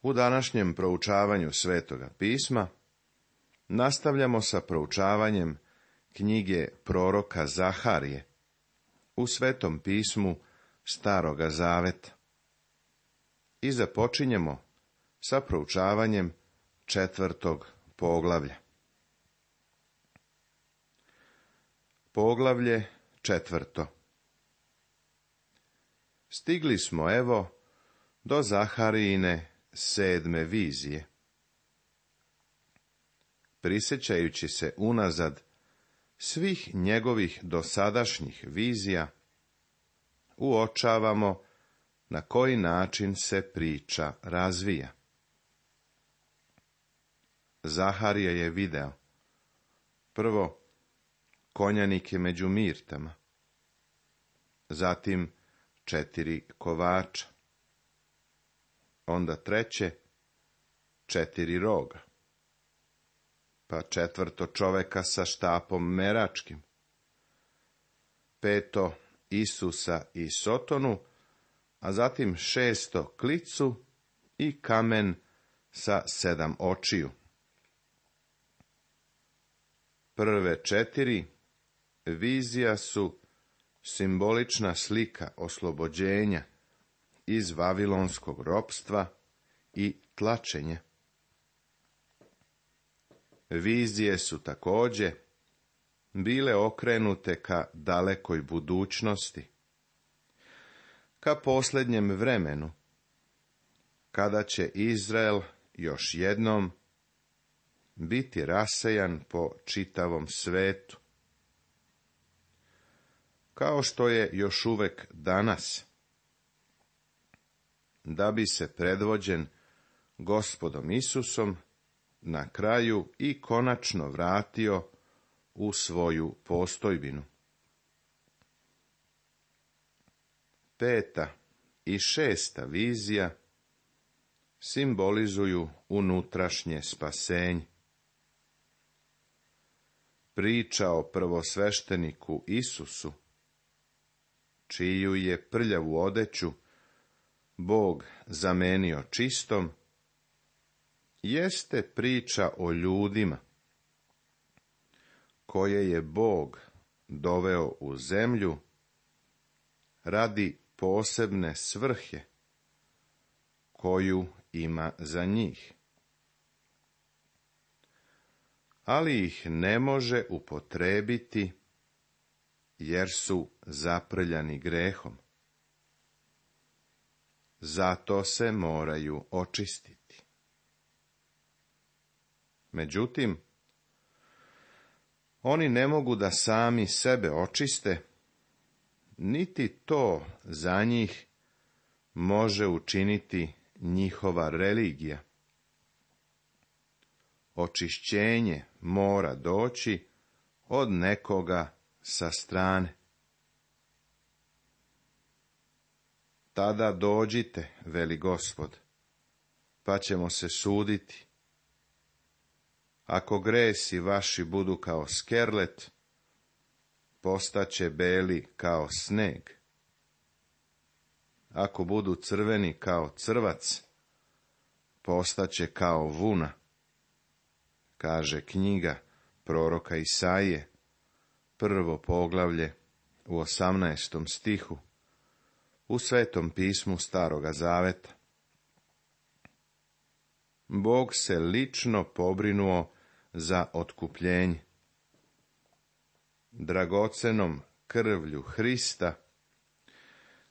U današnjem proučavanju Svetoga pisma nastavljamo sa proučavanjem knjige proroka Zaharije u Svetom pismu Staroga Zaveta i započinjemo sa proučavanjem 4. poglavlja. Poglavlje 4. Stigli smo evo do Zaharijine 7. vizije. Prisjećajući se unazad svih njegovih dosadašnjih vizija, uočavamo na koji način se priča razvija. Zaharija je video, prvo, konjanike među mirtama, zatim 4 kovača, onda treće 4 roga, pa 4. čoveka sa štapom meračkim, 5. Isusa i Sotonu, a zatim 6. klicu i kamen sa 7 očiju. Prve 4 vizija su simbolična slika oslobođenja iz vavilonskog ropstva i tlačenja. Vizije su također bile okrenute ka dalekoj budućnosti, ka posljednjem vremenu, kada će Izrael još jednom biti rasejan po čitavom svetu. Kao što je još uvek danas, da bi se predvođen Gospodom Isusom na kraju i konačno vratio u svoju postojbinu. 5. i 6. vizija simbolizuju unutrašnje spasenje. Priča o prvosvešteniku Isusu, čiju je prljavu odeću Bog zamenio čistom, jeste priča o ljudima koje je Bog doveo u zemlju radi posebne svrhe koju ima za njih, ali ih ne može upotrebiti jer su zaprljani grehom. Zato se moraju očistiti. Međutim, oni ne mogu da sami sebe očiste, niti to za njih može učiniti njihova religija. Očišćenje mora doći od nekoga sa strane. Tada dođite, veli Gospod, pa ćemo se suditi. Ako gresi vaši budu kao skerlet, postaće beli kao sneg. Ako budu crveni kao crvac, postaće kao vuna, kaže knjiga proroka Isaije, 1. poglavlje u 18. stihu, u Svetom pismu Staroga Zaveta. Bog se lično pobrinuo za otkupljenje. Dragocenom krvlju Hrista,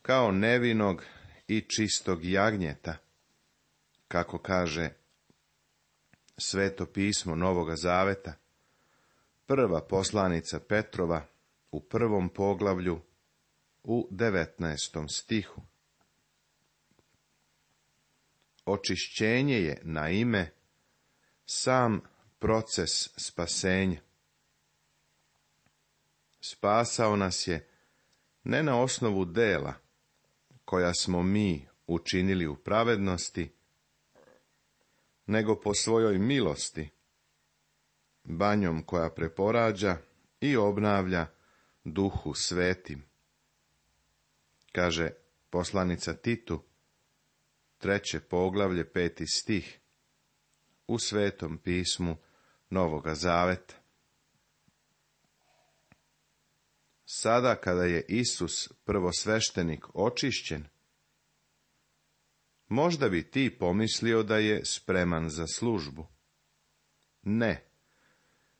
kao nevinog i čistog jagnjeta, kako kaže Sveto pismo Novoga Zaveta, 1. poslanica Petrova u 1. poglavlju u 19. stihu. Očišćenje je, naime, sam proces spasenja. Spasao nas je ne na osnovu dela koja smo mi učinili u pravednosti, nego po svojoj milosti, banjom koja preporađa i obnavlja Duhu Svetim. Kaže poslanica Titu, 3. poglavlje, 5. stih, u Svetom pismu Novoga Zaveta. Sada kada je Isus prvosveštenik očišćen, možda bi ti pomislio da je spreman za službu. Ne,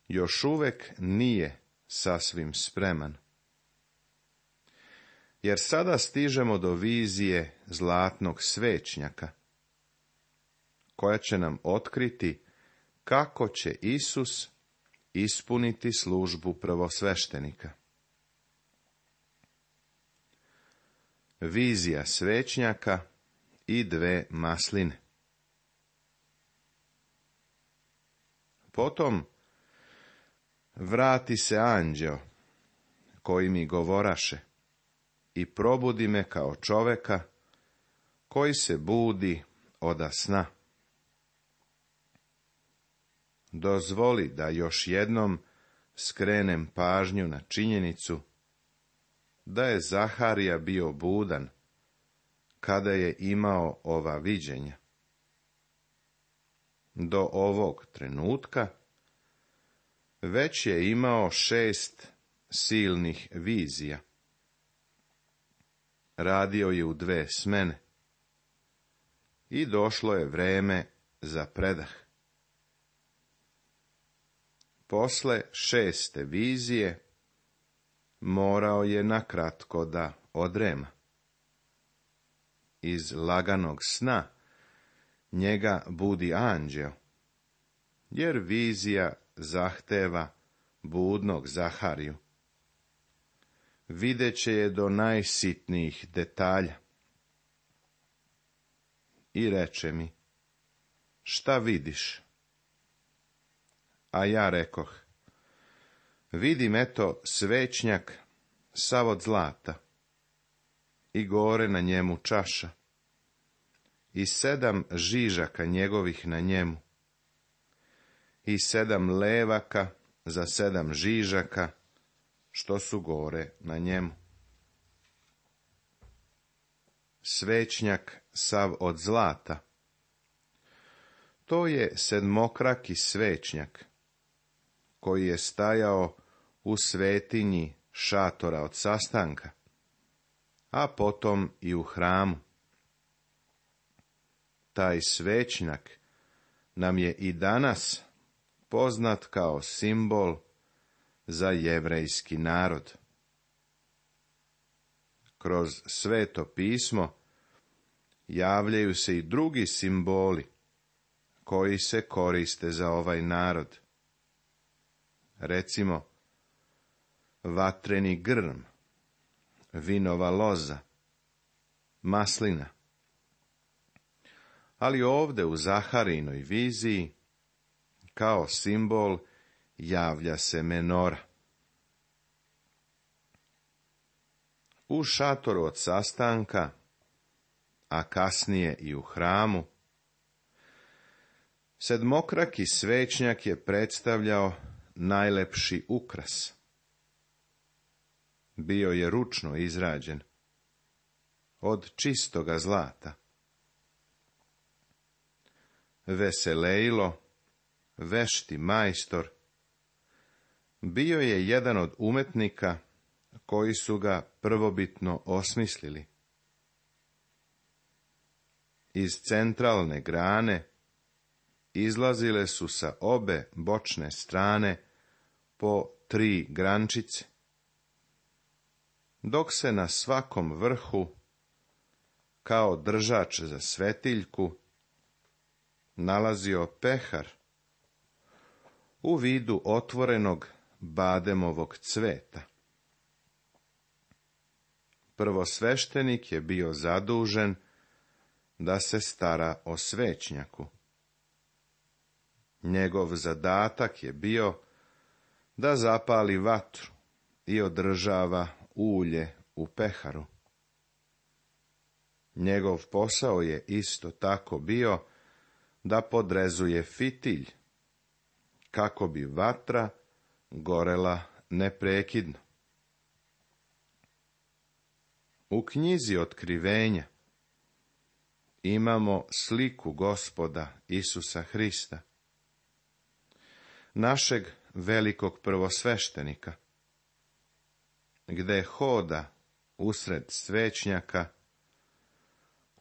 još uvek nije sasvim spreman. Jer sada stižemo do vizije zlatnog svećnjaka, koja će nam otkriti kako će Isus ispuniti službu prvosveštenika. Vizija svećnjaka i 2 masline. Potom vrati se anđeo, koji mi govoraše, i probudi me kao čoveka koji se budi oda sna. Dozvoli da još jednom skrenem pažnju na činjenicu da je Zaharija bio budan kada je imao ova viđenja. Do ovog trenutka već je imao 6 silnih vizija. Radio je u 2 smene i došlo je vreme za predah. Posle 6. vizije morao je nakratko da odrema. Iz laganog sna njega budi anđeo, jer vizija zahteva budnog Zahariju. Videće je do najsitnijih detalja. I reče mi, šta vidiš? A ja rekoh, vidim eto svećnjak sav od zlata, i gore na njemu čaša, i 7 žižaka njegovih na njemu, i 7 levaka za 7 žižaka, što su gore na njemu. Svećnjak sav od zlata, to je 7-kraki svećnjak, koji je stajao u svetinji šatora od sastanka, a potom i u hramu. Taj svećnjak nam je i danas poznat kao simbol za jevrejski narod. Kroz Sveto pismo javljaju se i drugi simboli koji se koriste za ovaj narod. Recimo, vatreni grm, vinova loza, maslina. Ali ovde u Zaharijinoj viziji, kao simbol, javlja se menora. U šatoru od sastanka, a kasnije i u hramu, 7-kraki svećnjak je predstavljao najlepši ukras. Bio je ručno izrađen, od čistoga zlata. Veselejlo, vešti majstor, bio je jedan od umetnika koji su ga prvobitno osmislili. Iz centralne grane izlazile su sa obe bočne strane po 3 grančice, dok se na svakom vrhu, kao držač za svetiljku, nalazio pehar u vidu otvorenog bademovog cveta. Prvosveštenik je bio zadužen da se stara o svećnjaku. Njegov zadatak je bio da zapali vatru i održava ulje u peharu. Njegov posao je isto tako bio da podrezuje fitilj, kako bi vatra gorela neprekidno. U knjizi Otkrivenja imamo sliku Gospoda Isusa Hrista, našeg velikog prvosveštenika, gde hoda usred svećnjaka,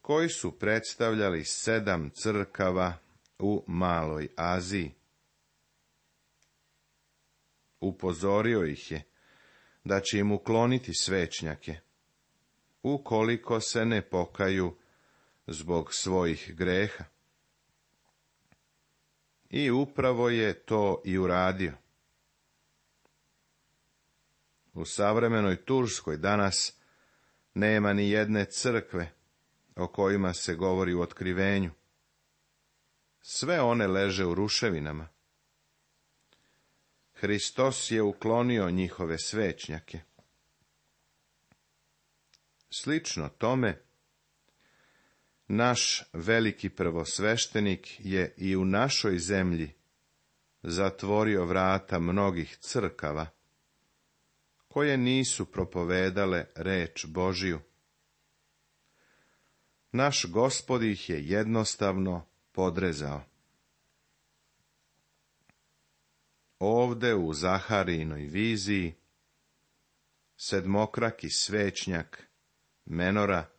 koji su predstavljali 7 crkava u Maloj Aziji. Upozorio ih je da će im ukloniti svećnjake, ukoliko se ne pokaju zbog svojih greha. I upravo je to i uradio. U savremenoj Turskoj danas nema ni jedne crkve o kojima se govori u Otkrivenju. Sve one leže u ruševinama. Hristos je uklonio njihove svećnjake. Slično tome, naš veliki prvosveštenik je i u našoj zemlji zatvorio vrata mnogih crkava, koje nisu propovedale reč Božiju. Naš Gospod ih je jednostavno podrezao. Ovde u Zaharijinoj viziji sedmokraki svećnjak Menora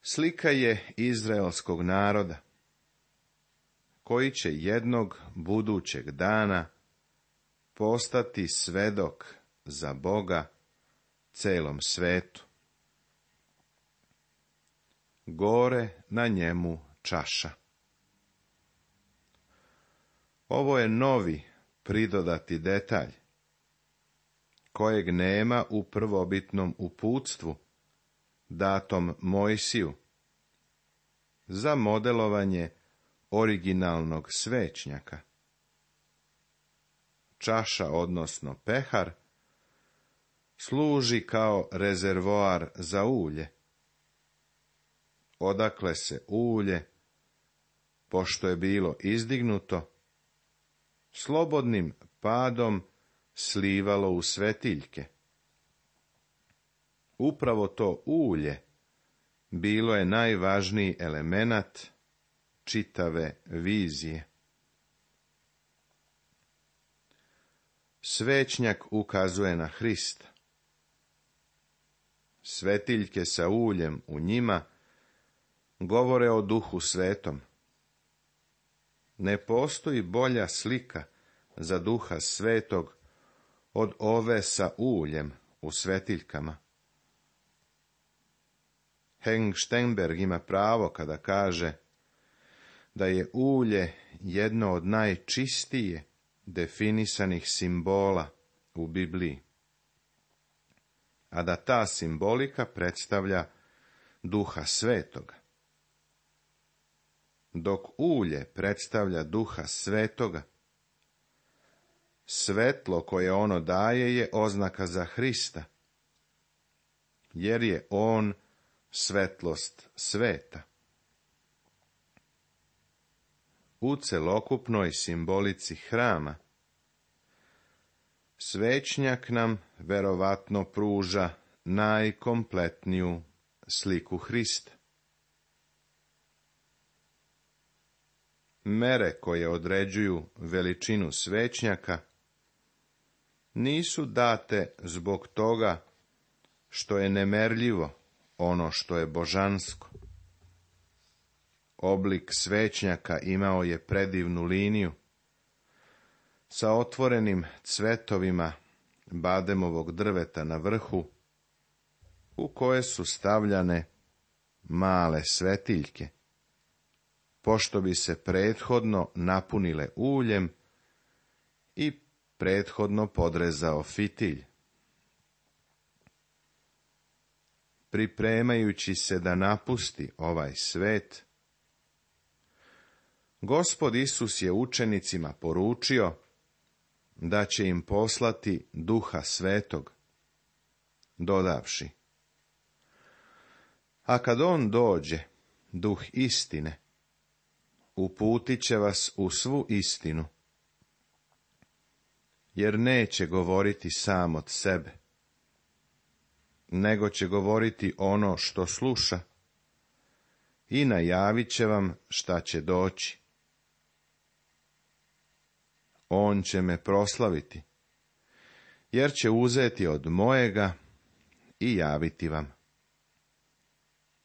slika je izraelskog naroda, koji će jednog budućeg dana postati svedok za Boga celom svetu. Gore na njemu čaša. Ovo je novi pridodati detalj, kojeg nema u prvobitnom uputstvu, datom Mojsiju, za modelovanje originalnog svećnjaka. Čaša, odnosno pehar, služi kao rezervoar za ulje, odakle se ulje, pošto je bilo izdignuto, slobodnim padom slivalo u svetiljke. Upravo to ulje bilo je najvažniji elemenat čitave vizije. Svećnjak ukazuje na Hrista. Svetiljke sa uljem u njima govore o Duhu Svetom. Ne postoji bolja slika za Duha Svetog od ove sa uljem u svetiljkama. Henk Stenberg ima pravo kada kaže da je ulje jedno od najčistije definisanih simbola u Bibliji, a da ta simbolika predstavlja Duha Svetoga. Dok ulje predstavlja Duha Svetoga, svetlo koje ono daje je oznaka za Hrista, jer je on svetlost sveta. U celokupnoj simbolici hrama, svećnjak nam verovatno pruža najkompletniju sliku Hrista. Mere koje određuju veličinu svećnjaka nisu date zbog toga što je nemerljivo ono što je božansko. Oblik svećnjaka imao je predivnu liniju sa otvorenim cvetovima bademovog drveta na vrhu, u koje su stavljane male svetiljke, pošto bi se prethodno napunile uljem i prethodno podrezao fitilj. Pripremajući se da napusti ovaj svet, Gospod Isus je učenicima poručio da će im poslati Duha Svetog, dodavši: a kad on dođe, Duh istine, uputit će vas u svu istinu, jer neće govoriti sam od sebe, nego će govoriti ono što sluša i najavit će vam šta će doći. On će me proslaviti, jer će uzeti od mojega i javiti vam.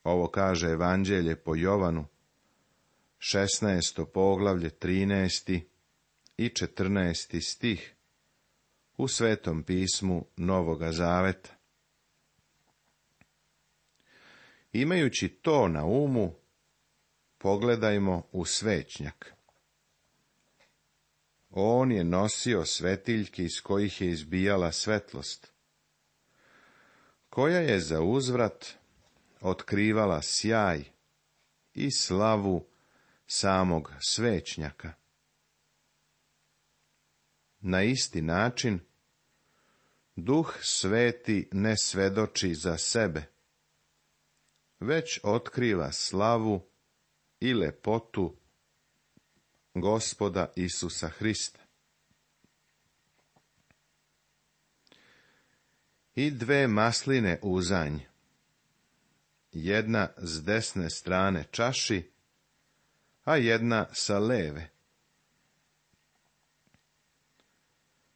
Ovo kaže Evanđelje po Jovanu, 16. poglavlje, 13. i 14. stih u Svetom pismu Novoga Zaveta. Imajući to na umu, pogledajmo u svećnjak. On je nosio svetiljke iz kojih je izbijala svetlost, koja je za uzvrat otkrivala sjaj i slavu samog svećnjaka. Na isti način, Duh Sveti ne svedoči za sebe, već otkriva slavu i lepotu Gospoda Isusa Hrista. I dve masline uzanj, jedna s desne strane čaši, a jedna sa leve.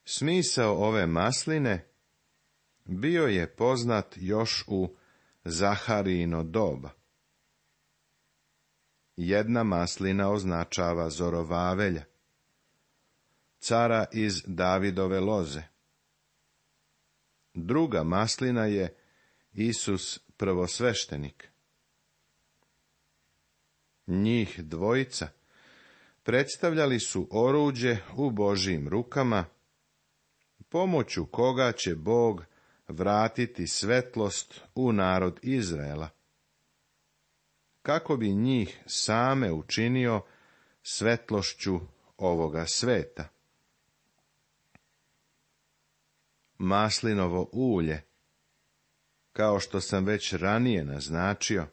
Smisao ove masline bio je poznat još u Zaharijino doba. Jedna maslina označava Zorovavelja, cara iz Davidove loze. Druga maslina je Isus prvosveštenik. Njih dvojica predstavljali su oruđe u Božjim rukama, pomoću koga će Bog vratiti svetlost u narod Izraela, kako bi njih same učinio svetlošću ovoga sveta. Maslinovo ulje, kao što sam već ranije naznačio,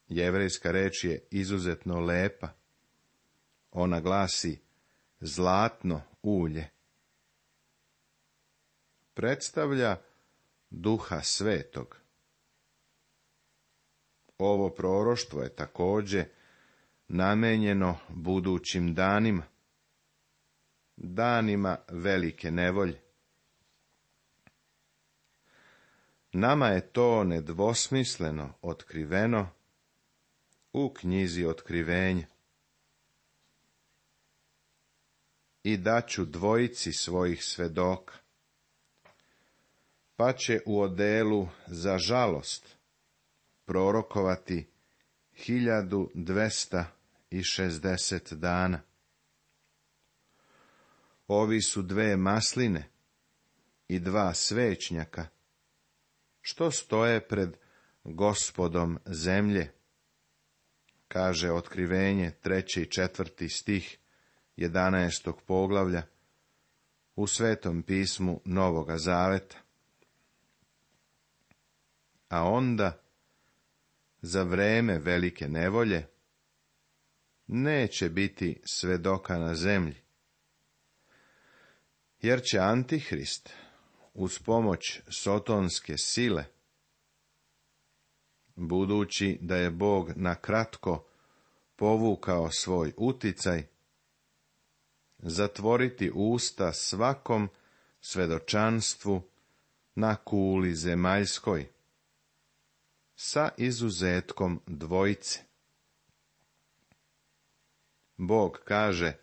jevrejska reč je izuzetno lepa. Ona glasi zlatno ulje. Predstavlja Duha Svetog. Ovo proroštvo je također namenjeno budućim danima, danima velike nevolje. Nama je to nedvosmisleno otkriveno u knjizi Otkrivenja. I daću dvojici svojih svedoka, pa će u odelu za žalost prorokovati 1260 dana. Ovi su dve masline i dva svećnjaka, što stoje pred Gospodom zemlje, kaže Otkrivenje 3. i 4. stih 11. poglavlja u Svetom pismu Novoga Zaveta. A onda, za vreme velike nevolje, neće biti svedoka na zemlji, jer će Antihrist uz pomoć sotonske sile, budući da je Bog na kratko povukao svoj uticaj, zatvoriti usta svakom svedočanstvu na kuli zemaljskoj, sa izuzetkom dvojice. Bog kaže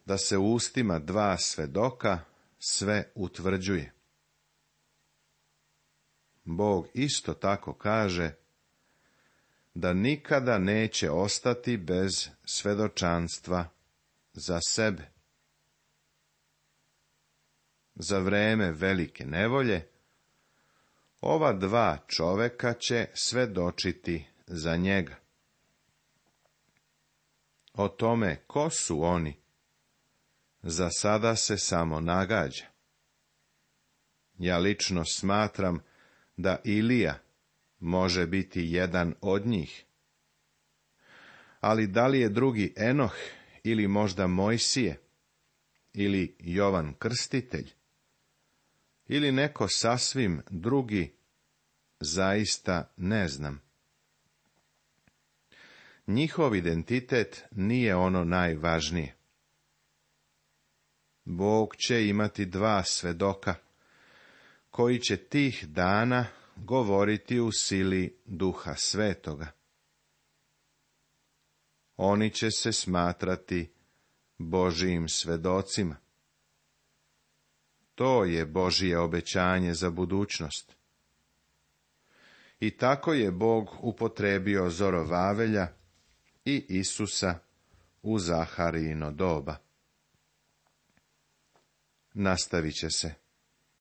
da se ustima dva svedoka sve utvrđuje. Bog isto tako kaže da nikada neće ostati bez svedočanstva za sebe. Za vreme velike nevolje ova dva čoveka će svedočiti za njega. O tome ko su oni, za sada se samo nagađa. Ja lično smatram da Ilija može biti jedan od njih. Ali da li je drugi Enoh ili možda Mojsije ili Jovan Krstitelj ili neko sasvim drugi, zaista ne znam. njihov identitet nije ono najvažnije. Bog će imati 2 svedoka, koji će tih dana govoriti u sili Duha Svetoga. Oni će se smatrati Božijim svedocima. To je Božje obećanje za budućnost. I tako je Bog upotrebio Zorovavelja i Isusa u Zaharijino doba. Nastavit će se.